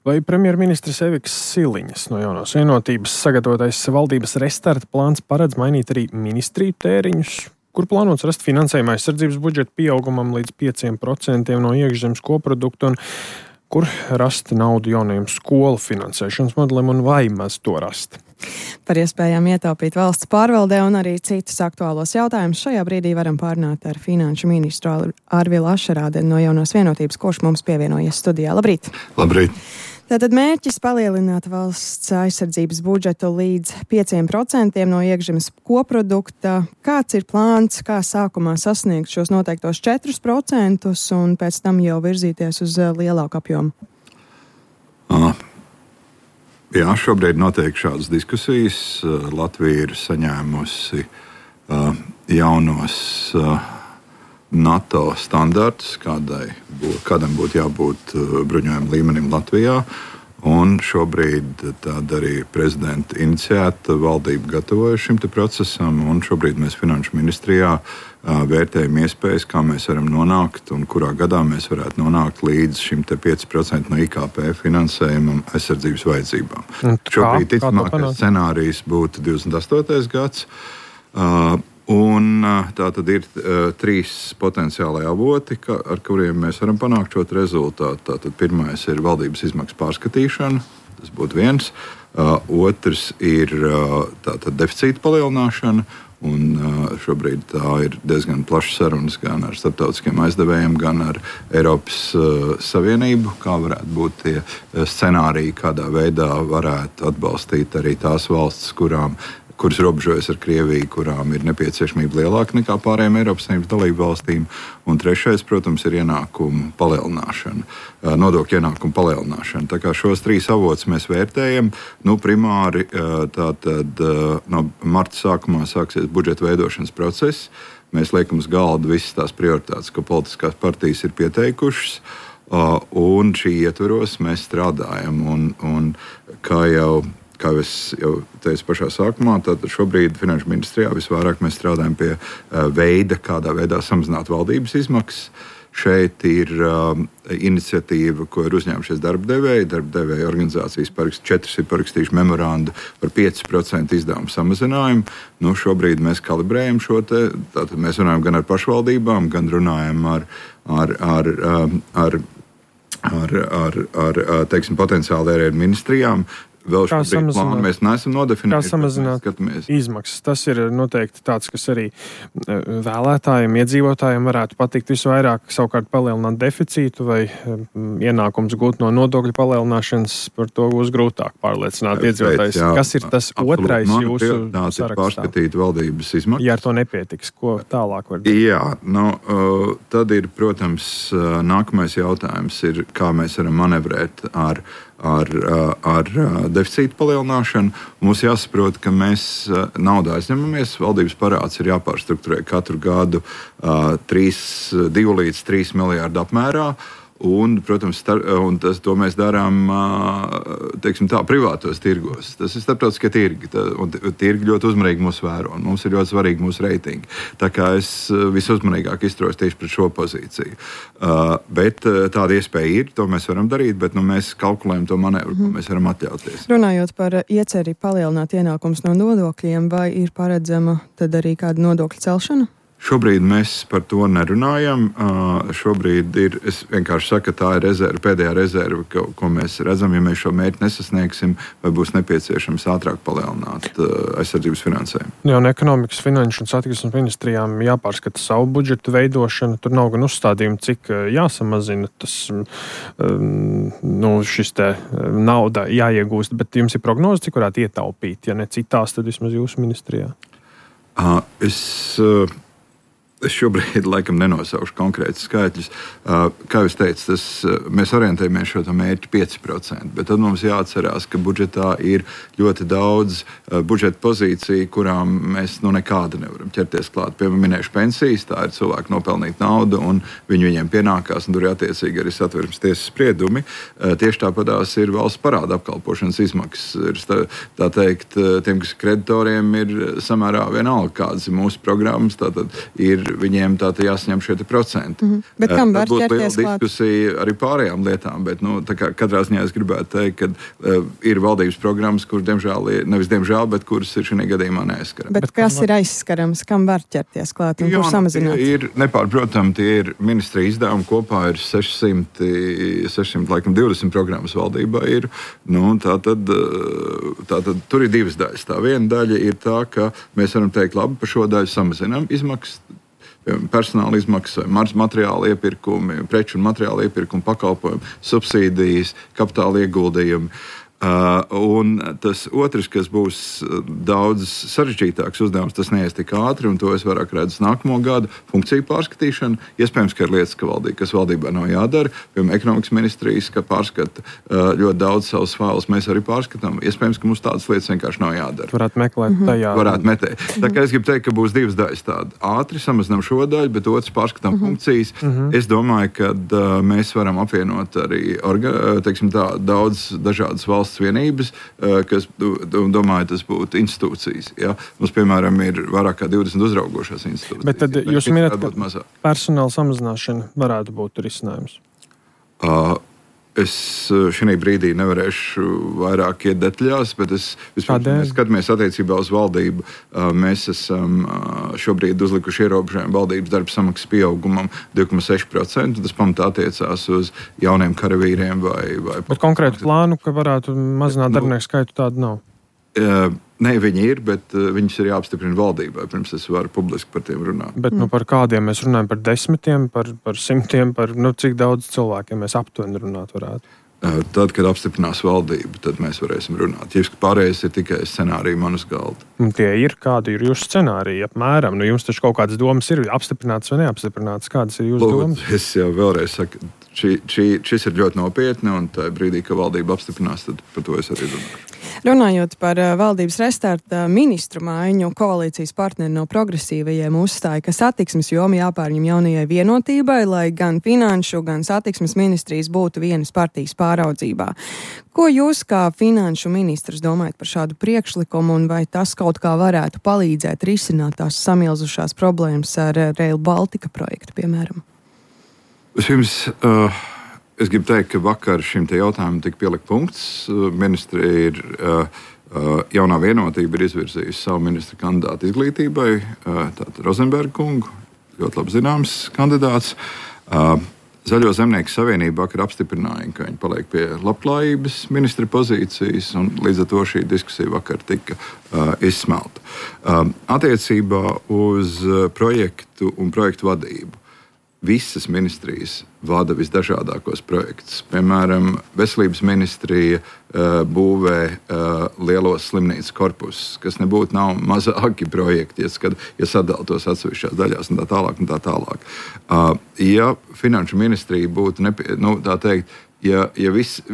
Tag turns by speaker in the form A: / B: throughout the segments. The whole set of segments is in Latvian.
A: Vai premjerministrs Eviks Siliņas no Jaunās Vienotības sagatavotais valdības restarta plāns paredz mainīt arī ministriju tēriņus, kur plānots rast finansējumu aizsardzības budžeta pieaugumam līdz 5% no iekšzemes koprodukta un kur rast naudu jaunajam skolu finansēšanas modelim un vai maz to rast?
B: Par iespējām ietaupīt valsts pārvaldē un arī citus aktuālos jautājumus šajā brīdī varam pārunāt ar finanšu ministru Arvilu Ašerādeni no Jaunās Vienotības, kurš mums pievienojies studijā. Labrīt!
C: Labrīt!
B: Tātad mērķis palielināt valsts aizsardzības budžetu līdz 5% no iekšzemes koprodukta. Kāds ir plāns, kā sākumā sasniegt šos noteiktos 4% un pēc tam jau virzīties uz lielāku apjomu?
C: Jā, šobrīd notiek šādas diskusijas. Latvija ir saņēmusi jaunos NATO standartus, kādam būtu jābūt bruņojuma līmenim Latvijā. Un šobrīd tāda arī prezidenta iniciēta valdība gatavojas šim procesam. Un šobrīd mēs Finanšu ministrijā vērtējam iespējas, kā mēs varam nonākt un kurā gadā mēs varētu nonākt līdz šim 5% no IKP finansējumam aizsardzības vajadzībām. Šobrīd ticamākais scenārijs būtu 28. gads. Un tā tad ir 3 potenciāli avoti, ar kuriem mēs varam panākt šo rezultātu. Tātad pirmais ir valdības izmaksu pārskatīšana, tas būtu viens. Otrs ir tātad deficīta palielināšana. Un šobrīd tā ir diezgan plašas sarunas gan ar starptautiskiem aizdevējiem, gan ar Eiropas Savienību, kā varētu būt tie scenāriji, kādā veidā varētu atbalstīt arī tās valstis, kuras robežojas ar Krieviju, kurām ir nepieciešamība lielāka nekā pārējām Eiropas Savienības dalību valstīm. Un trešais, protams, ir ienākumu palielināšana, nodokļu ienākumu palielināšana. Tā kā šos 3 avotus mēs vērtējam, primāri tātad no marta sākumā sāksies budžeta veidošanas process. Mēs liekam uz galda visas tās prioritātes, ko politiskās partijas ir pieteikušas. Un šī ietvaros mēs strādājam. Un kā es jau teicu pašā sākumā, tad šobrīd Finanšu ministrijā visvairāk mēs strādājam pie veida, kādā veidā samazināt valdības izmaksas. Šeit ir iniciatīva, ko ir uzņēmušies darba devēji. Darba devēja organizācijas 4 ir parakstījuši memorandu par 5% izdevumu samazinājumu. Šobrīd mēs kalibrējam šo te. Tātad mēs runājam gan ar pašvaldībām, gan runājam ar teiksim, potenciāli arī ar ministrijām. Vēl šobrīd plānu mēs neesam nodefinējuši.
A: Kā samazināt izmaksas? Tas ir noteikti tāds, kas arī vēlētājiem, iedzīvotājiem varētu patikt visvairāk, savukārt palielināt deficītu vai ienākums gūt no nodokļu palielināšanas, par to būs grūtāk pārliecināt iedzīvotājus. Kas ir tas otrais jūsu sarakstā?
C: Pārskatīt valdības izmaksas.
A: Ja ar to nepietiks, ko tālāk var darīt?
C: Jā, tad ir, protams, nākamais jautājums ir, kā mēs varam manevrēt ar deficīta palielināšanu. Mums jāsaprot, ka mēs naudu aizņemamies. Valdības parāds ir jāpārstrukturē katru gadu 2 līdz 3 miljārdu apmērā. Un, protams, to mēs darām privātos tirgos. Tas ir starptautiskie tirgi. Tirgi ļoti uzmanīgi mūs vēro. Mums ir ļoti svarīgi mūsu reitingi. Tā kā es visuzmanīgāk izturos tieši pret šo pozīciju. Bet tāda iespēja ir, to mēs varam darīt, bet mēs kalkulējam to manevru, ko mēs varam atļauties.
B: Runājot par ieceri palielināt ienākumus no nodokļiem, vai ir paredzama tad arī kāda nodokļa celšana?
C: Šobrīd mēs par to nerunājam. Šobrīd es vienkārši saku, ka tā ir rezerve, pēdējā rezerve, ko mēs redzam. Ja mēs šo mērķi nesasniegsim, vai būs nepieciešams ātrāk palielināt aizsardzības finansējumu.
A: Jā, un ekonomikas, finanšu un satiksmes ministrijām jāpārskata savu budžetu veidošanu. Tur nav gan uzstādījumi, cik jāsamazina tas šis te nauda jāiegūst, bet jums ir prognoze, cik varētu ietaupīt, ja ne citās, tad vismaz jūsu ministrijā.
C: Es šobrīd laikam nenosaukšu konkrētus skaitļus. Kā jūs teicat, mēs orientējamies šo mērķi 5%, bet tad mums jāatcerās, ka budžetā ir ļoti daudz budžeta pozīciju, kurām mēs nekāda nevaram ķerties klāt. Piemēram, minēšu pensijas, tā ir cilvēku nopelnīta nauda, un viņiem pienākās, un tur ir attiecīgi arī Satversmes tiesas spriedumi. Tieši tāpatās ir valsts parāda apkalpošanas izmaksas. Tā teikt, tiem, kas kreditoriem ir samērā vienalga, kādas ir mūsu programmas, tātad ir viņiem tātad jāsaņem šie procenti.
B: Bet kam var
C: būtu liela
B: ķerties klāt?
C: diskusija arī pārējām lietām, bet katrā ziņā es gribētu teikt, ka ir valdības programmas, kuras bet kuras ir šajā gadījumā neaizskarams.
B: Bet kas ir aizskarams, kam var ķerties klāt un kur samazināt?
C: Ir nepārprotami, tie ir ministrija izdevumi, kopā ir 620 programmas valdībā ir. Tātad tur ir divas daļas. Tā viena daļa ir tā, ka mēs varam teikt, labi, par šo daļu samazinām izmaksas, personāla izmaksas, materiāla iepirkumi, preču un materiāla iepirkumi, pakalpojumi, subsīdijas, kapitāla ieguldījumi. Un tas otrs, kas būs daudz sarežģītāks uzdevums, tas neies tik ātri, un to es vairāk redzu nākamo gadu funkciju pārskatīšanu. Iespējams, ka ir lietas, kas valdībā nav jādara. Piemēram, ekonomikas ministrijas, ka pārskata ļoti daudz savus failus, mēs arī pārskatām. Iespējams, ka mums tādas lietas vienkārši nav jādara.
A: Varētu meklēt tajā.
C: Varētu metēt. Tā kā es gribu teikt, ka būs divas daļas tādas. Ātri samazinām šo daļu, bet otrs pārskatām funkcijas. Es domāju, ka mēs varam apvienot arī daudz dažādas valsts vienības, kas, domāju, tas būtu institūcijas. Ja? Mums, piemēram, ir vairāk kā 20 uzraugošās institūcijas.
A: Bet tad jūs minat, ka personāla samazināšana varētu būt risinājums?
C: Es šī brīdī nevarēšu vairāk iet detaļās, bet mēs skatāmies attiecībā uz valdību. Mēs esam šobrīd uzlikuši ierobežojumu valdības darba samaksas pieaugumam 2,6%. Tas pamatā attiecās uz jauniem karavīriem vai
A: bet konkrētu plānu, ka varētu mazināt darbinieku skaitu, tādu nav?
C: Nē, viņi ir, bet viņus ir jāapstiprina valdībai, pirms es varu publiski par tiem runāt.
A: Bet par kādiem mēs runājam? Par 10, par 100, par cik daudz cilvēkiem mēs aptuveni runāt varētu?
C: Tad, kad apstiprinās valdību, tad mēs varēsim runāt. Ja pārējais ir tikai scenāriji man uz galda.
A: Tie ir, kādi ir jūsu scenāriji apmēram? Jums taču kaut kādas domas ir apstiprinātas vai neapstiprinātas? Kādas ir jūsu domas?
C: Es jau vēlreiz saku, šis ir ļoti nopietni, un tajā brīdī, kad valdība apstiprinās, tad par to es arī runāšu.
B: Runājot par valdības restarta ministru maiņu, koalīcijas partneri no progresīvajiem uzstāja, ka satiksmes joma jāpārņem jaunajai vienotībai, lai gan finanšu, gan satiksmes ministrijas būtu vienas partijas pāraudzībā. Ko jūs kā finanšu ministrs domājat par šādu priekšlikumu, un vai tas kaut kā varētu palīdzēt risināt tās samilzušās problēmas ar Rail Baltica projektu, piemēram?
C: Es gribu teikt, ka vakar šim jautājumam tika pielikt punkts. Ministrija jaunā vienotība ir izvirzījusi savu ministra kandidātu izglītībai, tātad Rozenberga kungu, ļoti labi zināms kandidāts. Zaļo zemnieku savienība vakar apstiprināja, ka viņi paliek pie labklājības ministra pozīcijas, un līdz ar to šī diskusija vakar tika izsmelta. Attiecībā uz projektu un projektu vadību. Visas ministrijas vada visdažādākos projektus. Piemēram, veselības ministrija būvē lielos slimnīcas korpusus, kas nav mazāki projekti, ja sadala tos atsevišķās daļās un tā tālāk. Ja finanšu ministrija būtu,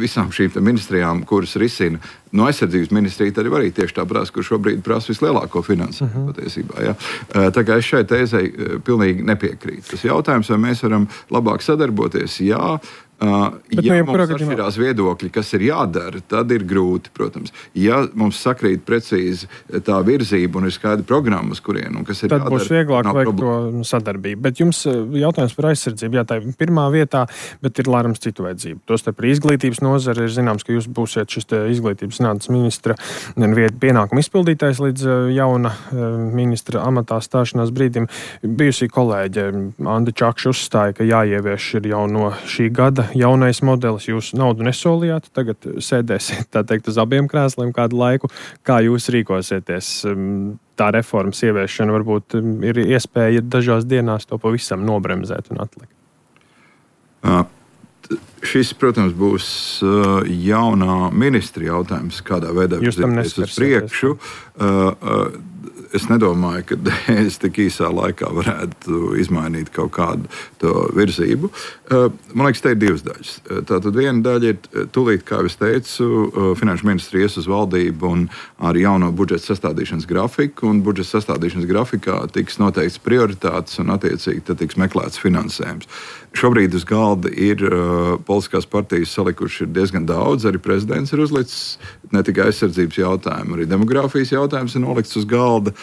C: visām šīm ministrijām, kuras risina no aizsardzības ministrija, tad arī tieši tā prasa, kur šobrīd prasa vislielāko finansējumu patiesībā. Ja? Tā kā es šai tēzei pilnīgi nepiekrītu. Tas jautājums, vai mēs varam labāk sadarboties? Jā. Ja mums atšķirās viedokļi, kas ir jādara, tad ir grūti, protams. Ja mums sakrīt precīzi tā virzība un ir skaidra programma, uz kurien un kas ir
A: tad
C: jādara,
A: tad būs vieglāk veikt to sadarbību. Bet jums jautājums par aizsardzību, jā, tā ir pirmā vietā, bet ir lārams citu vajadzību. Tostarp par izglītības nozari ir zināms, ka jūs būsiet šis izglītības zinātnes ministra pienākumu izpildītājs līdz jauna ministra amatā stāšanās brīdim. Bijusī kolēģe Anda Čakša uzstāja, ka jāievieš ir jau no šī gada jaunais modelis. Jūs naudu nesolījāt, tagad sēdēsiet, tā teikt, uz abiem krēsliem kādu laiku. Kā jūs rīkosieties? Tā reformas ieviešana varbūt ir iespēja dažās dienās to pavisam nobremzēt un atlikt.
C: Šis, protams, būs jaunā ministra jautājums, kādā veidā virzīties uz priekšu. Es nedomāju, ka es tik īsā laikā varētu izmainīt kaut kādu to virzību. Man liekas, te ir divas daļas. Tātad viena daļa ir tūlīt, kā es teicu, finanšu ministri ies uz valdību un ar jauno budžeta sastādīšanas grafiku, un budžeta sastādīšanas grafikā tiks noteikts prioritātes un attiecīgi tad tiks meklēts finansējums. Šobrīd uz galda ir politiskās partijas salikuši diezgan daudz, arī prezidents ir uzlicis ne tikai aizsardzības jautājumu, arī demogrāfijas jautājums ir nolikts uz galda.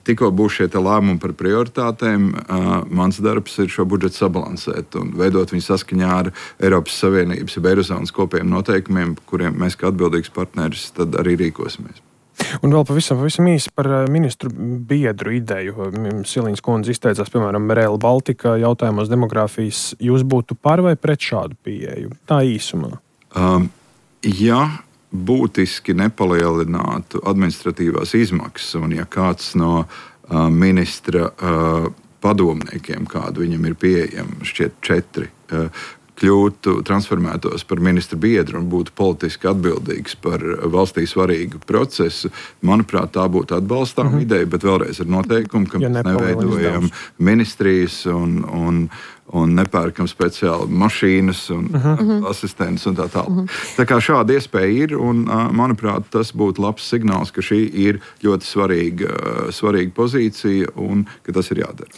C: tikko būs šie lēmumi par prioritātēm, mans darbs ir šo budžetu sabalansēt un veidot viņu saskaņā ar Eiropas Savienības un Eirozonas kopējiem noteikumiem, kuriem mēs kā atbildīgs partneris tad arī rīkosimies.
A: Un vēl pavisam īsi par ministru biedru ideju. Siliņas kundze izteicās, piemēram, Rail Baltica jautājumos demogrāfijas. Jūs būtu par vai pret šādu pieeju? Tā īsumā.
C: Ja būtiski nepalielinātu administratīvās izmaksas, un ja kāds no ministra padomniekiem, kādu viņam ir pieejami, šķiet 4, kļūtu, transformētos par ministra biedru un būtu politiski atbildīgs par valstī svarīgu procesu, manuprāt, tā būtu atbalstāma ideja, bet vēlreiz ar noteikumu, ka mēs neveidojam ministrijas un nepērkam speciāli mašīnas un asistentus un tā tālāk. Tā kā šāda iespēja ir, un, manuprāt, tas būtu labs signāls, ka šī ir ļoti svarīga pozīcija un ka tas ir jādara.